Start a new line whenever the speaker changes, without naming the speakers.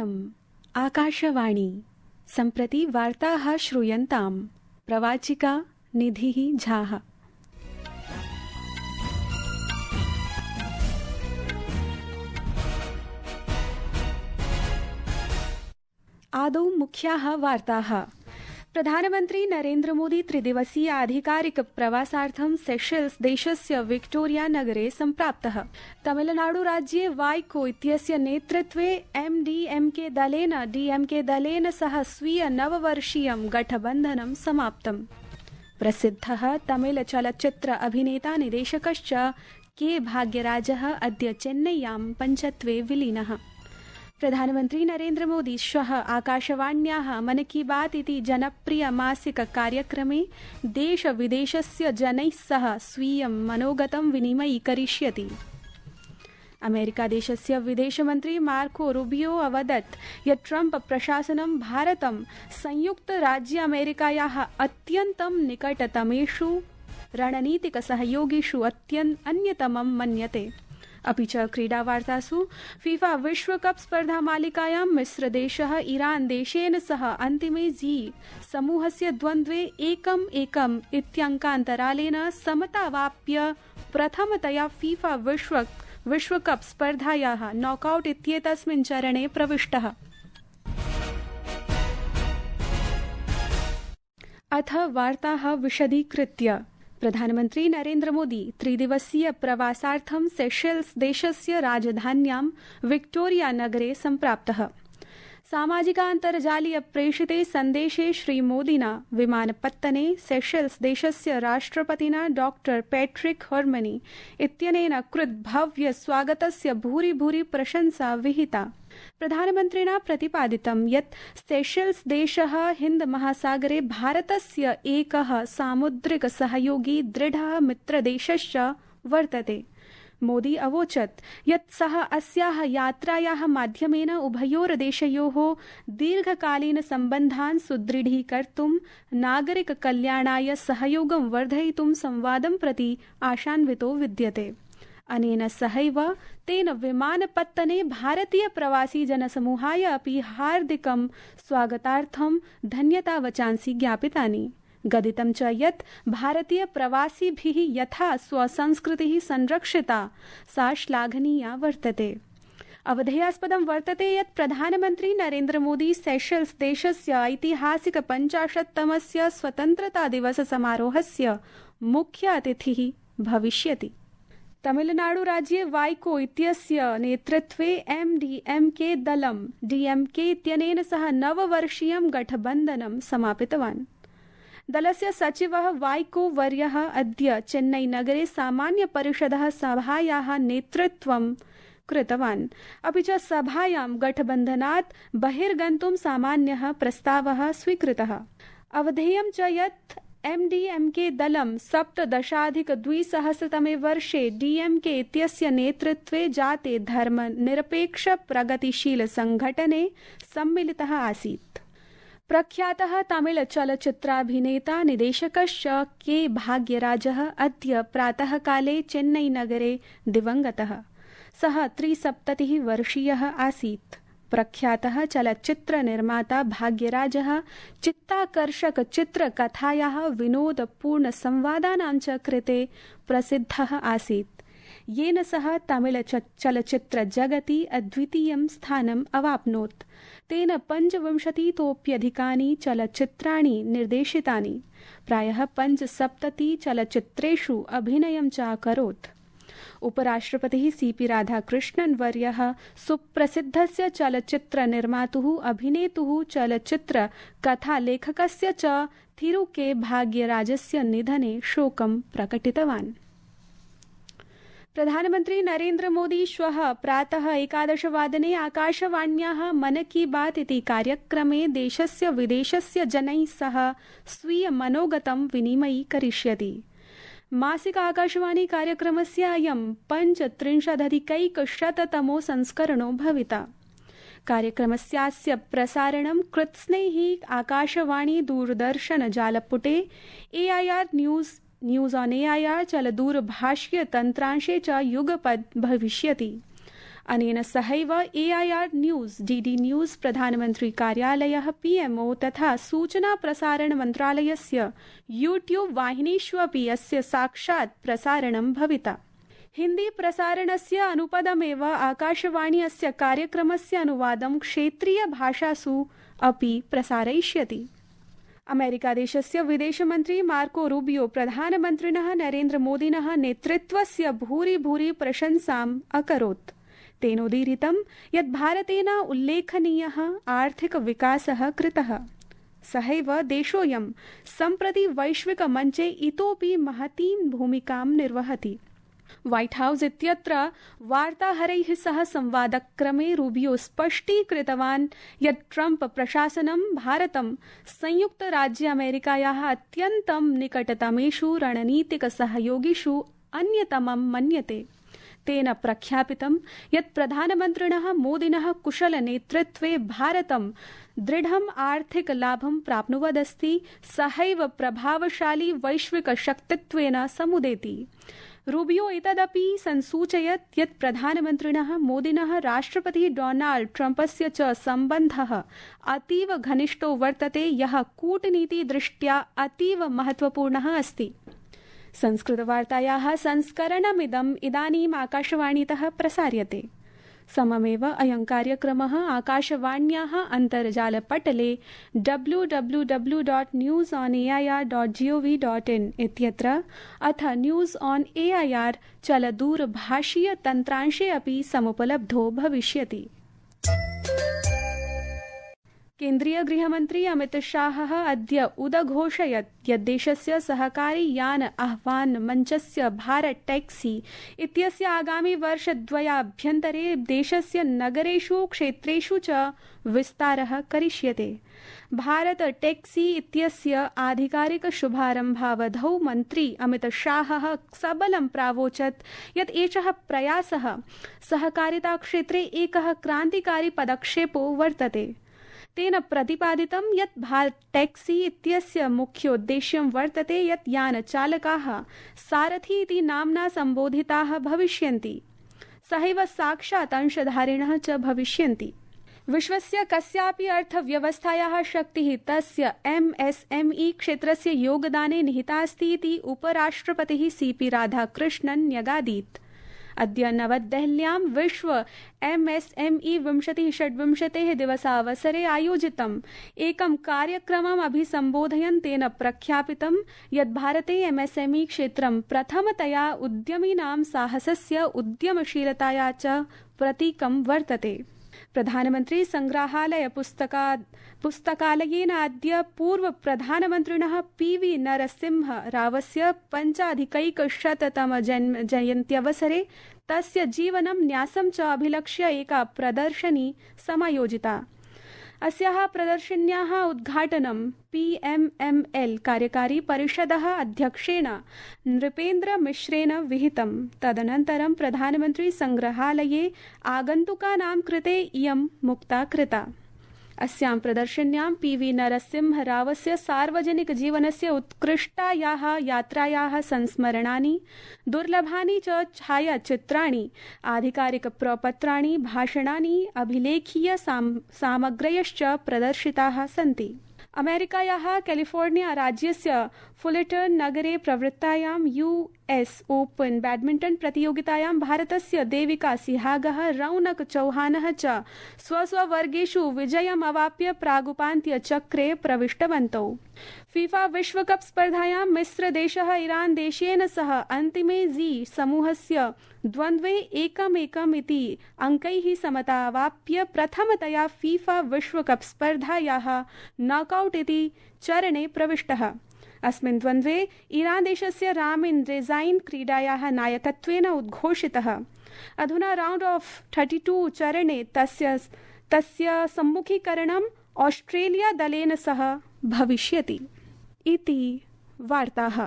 इयम् आकाशवाणी सम्प्रति वार्ताः श्रूयन्ताम् प्रवाचिका निधिः झाः। आदौ मुख्याः वार्ताः। प्रधानमन्त्री नरेन्द्र मोदी त्रिदिवसीय आधिकारिक प्रवासार्थं सेशेल्स् देशस्य विक्टोरिया नगरे सम्प्राप्तः। तमिलनाडु राज्ये वाइको इत्यस्य नेतृत्वे एमडीएमके दलेन सह स्वीय नववर्षीयं गठबन्धनं समाप्तम्। प्रसिद्धः तमिल चलच्चित्र अभिनेता निदेशकश्च के भाग्यराजः अद्य चेन्नय्यां पञ्चत्वे विलीनः। प्रधानमन्त्री नरेन्द्र मोदी श्वः आकाशवाण्याः मन की बात इति जनप्रिय मासिक कार्यक्रमे देश विदेशस्य जनैः सह स्वीयं मनोगतं विनिमयीकरिष्यति। अमेरिकादेशस्य विदेशमन्त्री मार्को रूबियो अवदत् यत् ट्रम्प प्रशासनं भारतं संयुक्तराज्यामेरिकायाः अत्यन्तं निकटतमेषु रणनीतिकसहयोगिषु अन्यतमं मन्यते। अपि च क्रीडावार्तासु फीफा विश्वकप स्पर्धामालिकायां मिस्रदेशः ईरान देशेन सह अन्तिमे जी समूहस्य द्वन्द्वे 1-1 इत्यङ्कान्तरालेन समतावाप्य प्रथमतया फीफा विश्वकप स्पर्धायाः नॉकआउट इत्येतस्मिन् चरणे प्रविष्टः। अथ वार्ताः विशदीकृत्य। प्रधानमन्त्री नरेन्द्र मोदी त्रिदिवसीय प्रवासार्थं सेशेल्स् देशस्य राजधान्यां विक्टोरिया नगरे सम्प्राप्तः। सामाजिकान्तर्जालीय प्रेषिते सन्देशे श्रीमोदिना विमानपत्तने सेशेल्स् देशस्य राष्ट्रपतिना डॉक्टर पैट्रिक हर्मनी इत्यनेन कृत भव्य स्वागतस्य भूरि भूरि प्रशंसा विहिता। प्रधानमन्त्रिणा प्रतिपादितं यत् सेशेल्स् देशः हिन्द महासागरे भारतस्य एकः सामुद्रिक सहयोगी दृढः मित्रदेशश्च वर्तते। मोदी अवोचत् यत् सः अस्याः यात्रायाः माध्यमेन उभयोर्देशयोः दीर्घकालीन सम्बन्धान् सुदृढीकर्तुं नागरिक कल्याणाय सहयोगं वर्धयितुं संवादं प्रति आशान्वितो विद्यते। अनेन सहैव तेन विमानपत्तने भारतीय प्रवासी जनसमूहाय अपि हार्दिकं स्वागतार्थं धन्यतावचांसि ज्ञापितानि। गदितं च यत् भारतीय प्रवासिभिः यथा स्वसंस्कृतिः संरक्षिता सा श्लाघनीया वर्तते। अवधेयास्पदं वर्तते यत् प्रधानमन्त्री नरेन्द्र मोदी सेशेल्स् देशस्य ऐतिहासिक 50तमस्य स्वतन्त्रता दिवस समारोहस्य मुख्य अतिथिः भविष्यति। तमिलनाडु राज्ये वाइको इत्यस्य नेतृत्वे एमडीएमके दलं डीएमके इत्यनेन सह नववर्षीयं गठबन्धनं समापितवान्। दलस्य सचिवः वाइको वर्यः अद्य चेन्नई नगरे सामान्य परिषदः सभायाः नेतृत्वं कृतवान्। अपि च सभायां गठबन्धनात् बहिर्गन्तुं सामान्यः प्रस्तावः स्वीकृतः। अवधेयं च यत् एमडीएमके दलं 17-2000 वर्षे डीएमके इत्यस्य नेतृत्वे जाते धर्मनिरपेक्ष प्रगतिशील संघटने सम्मिलितः आसीत्। प्रख्यातः तमिल चलच्चित्राभिनेता निदेशकश्च के भाग्यराजः अद्य प्रातःकाले चेन्नई नगरे दिवङ्गतः। सः 73 वर्षीयः आसीत्। प्रख्यातः चलच्चित्र निर्माता भाग्यराजः चित्ताकर्षक चित्रकथायाः विनोदपूर्ण संवादानां च कृते प्रसिद्धः आसीत्, येन सः तमिल चलच्चित्र जगति अद्वितीयं स्थानम् अवाप्नोत्। तेन 25तोप्यधिकानि चलच्चित्राणि निर्देशितानि। प्रायः 75 चलच्चित्रेषु अभिनयं च अकरोत्। उपराष्ट्रपतिः सीपी राधाकृष्णन् वर्यः सुप्रसिद्धस्य चलच्चित्र निर्मातुः अभिनेतुः चलच्चित्र कथालेखकस्य च थिरु के भाग्यराजस्य निधने शोकं प्रकटितवान्। प्रधानमन्त्री नरेन्द्र मोदी श्वः प्रातः 11 वादने आकाशवाण्याः मन की बात इति कार्यक्रमे देशस्य विदेशस्य जनैः सह स्वीय मनोगतं विनिमयीकरिष्यति। मासिक आकाशवाणी कार्यक्रमस्य अयं 35अधिकैकशततमो संस्करणो भविता। कार्यक्रमस्यास्य प्रसारणं कृत्स्नैः आकाशवाणी दूरदर्शन जालपुटे AIR न्यूज ऑन AIR चलदूरभाष्य तन्त्रांशे च युगपद् भविष्यति। अनेन सहैव AIR न्यूज़, DD न्यूज़, प्रधानमन्त्री कार्यालयः, PMO तथा सूचना प्रसारण मन्त्रालयस्य YouTube वाहिनीषु अपि अस्य साक्षात् प्रसारणं भविता। हिन्दी प्रसारणस्य अनुपदमेव आकाशवाणी अस्य कार्यक्रमस्य अनुवादं क्षेत्रीय भाषासु अपि प्रसारयिष्यति। अमेरिकादेशस्य विदेशमन्त्री मार्को रूबियो प्रधानमन्त्रिणः नरेन्द्रमोदिनः नेतृत्वस्य भूरि प्रशंसाम् अकरोत्। तेनोदीरितं यत् भारतेन उल्लेखनीयः आर्थिकविकासः कृतः। सहैव देशोऽयं सम्प्रति वैश्विकमञ्चे इतोपि महतीं भूमिकां निर्वहति। व्हाइट हाउस इत्यत्र वार्ताहरैः सह संवादक्रमे रूबियो स्पष्टीकृतवान् यत् ट्रम्प प्रशासनं भारतं संयुक्तराज्य अमेरिकायाः अत्यन्तं निकटतमेषु रणनीतिकसहयोगिषु अन्यतमं मन्यते। तेन प्रख्यापितं यत् प्रधानमन्त्रिणः मोदिनः कुशलनेतृत्वे भारतं दृढम् आर्थिकलाभं प्राप्नुवदस्ति, सहैव प्रभावशाली वैश्विकशक्तित्वेन समुदेति। रूबियो एतदपि संसूचयत् यत् प्रधानमन्त्रिणः मोदिनः राष्ट्रपतिः डोनाल्ड ट्रम्पस्य च सम्बन्धः अतीव घनिष्ठो वर्तते, यः कूटनीतिदृष्ट्या अतीव महत्वपूर्णः अस्ति। संस्कृतवार्तायाः संस्करणमिदम् इदानीम् आकाशवाणीतः प्रसार्यते। सममेव अयं कार्यक्रमः आकाशवाण्याः अन्तर्जालपटले www.newsonair.gov.in इत्यत्र अथ न्यूज़ ऑन AIR चलदूरभाषीय तन्त्रांशे अपि समुपलब्धो भविष्यति। केन्द्रीय गृहमन्त्री अमित शाहः अद्य उदघोषयत् यत् देशस्य सहकारी यान आह्वान मञ्चस्य भारत टैक्सी इत्यस्य आगामि वर्षद्वयाभ्यन्तरे देशस्य नगरेषु क्षेत्रेषु च विस्तारः करिष्यते। भारत टैक्सी इत्यस्य आधिकारिक शुभारम्भावधौ मन्त्री अमित शाहः सबलं प्रावोचत् यत् एषः प्रयासः सहकारिताक्षेत्रे एकः क्रान्तिकारी पदक्षेपो वर्तते। तेन प्रतिपादितं यत् भारत टैक्सी इत्यस्य मुख्योद्देश्यं वर्तते यत् यानचालकाः सारथी इति नाम्ना सम्बोधिताः भविष्यन्ति, सहैव साक्षात् अंशधारिणः च भविष्यन्ति। विश्वस्य कस्यापि अर्थव्यवस्थायाः शक्तिः तस्य MSME क्षेत्रस्य योगदाने निहिता अस्ति इति उपराष्ट्रपतिः CP राधाकृष्णन् न्यगादीत्। अद्य नवदेहल्यां विश्व MSME 2026 दिवसावसरे आयोजितम् एकं कार्यक्रमम् अभिसम्बोधयन् तेन प्रख्यापितं यत् भारते MSME क्षेत्रं प्रथमतया उद्यमिनां साहसस्य, उद्यमशीलताया च प्रतीकं वर्तते। प्रधानमन्त्री संग्रहालय पुस्तकालयेन अद्य पूर्व प्रधानमन्त्रिणः PV नरसिंह रावस्य 5अधिकैकशततम जयन्त्यवसरे तस्य जीवनं न्यासं च अभिलक्ष्य एका प्रदर्शनी समायोजिता। अस्याः प्रदर्शन्याः उद्घाटनं PMML कार्यकारी परिषदः अध्यक्षेण नृपेन्द्र मिश्रेण विहितम्। तदनन्तरं प्रधानमन्त्री संग्रहालये आगन्तुकानां कृते इयं मुक्ता कृता। अस्यां प्रदर्शन्यां PV नरसिंह रावस्य सार्वजनिक जीवनस्य उत्कृष्टायाः यात्रायाः संस्मरणानि, दुर्लभानि च छायाचित्राणि, आधिकारिक प्रपत्राणि, भाषणानि, अभिलेखीय सामग्र्यश्च प्रदर्शिताः सन्ति। अमेरिकायाः कैलिफोर्निया राज्यस्य फुलेटन नगरे प्रवृत्तायां US ओपन बैडमिंटन प्रतियोगितायां भारतस्य देविका सिहागः, रौनक चौहानः च स्वस्ववर्गेषु विजयम् अवाप्य प्रागुपान्त्यचक्रे प्रविष्टवन्तौ। फीफा विश्वकप स्पर्धायां मिस्रदेशः ईरान देशेन सह अन्तिमे जी समूहस्य द्वन्द्वे 1-1 इति अङ्कैः समतावाप्य प्रथमतया फीफा विश्वकप स्पर्धायाः नॉकआउट इति चरणे प्रविष्टः। अस्मिन् द्वन्द्वे ईरान देशस्य रामिन रेज़ाइन क्रीडायाः नायकत्वेन उद्घोषितः। अधुना राउंड ऑफ 32 चरणे तस्य सम्मुखीकरणम् ऑस्ट्रेलिया दलेन सह भविष्यति। इति वार्ताः।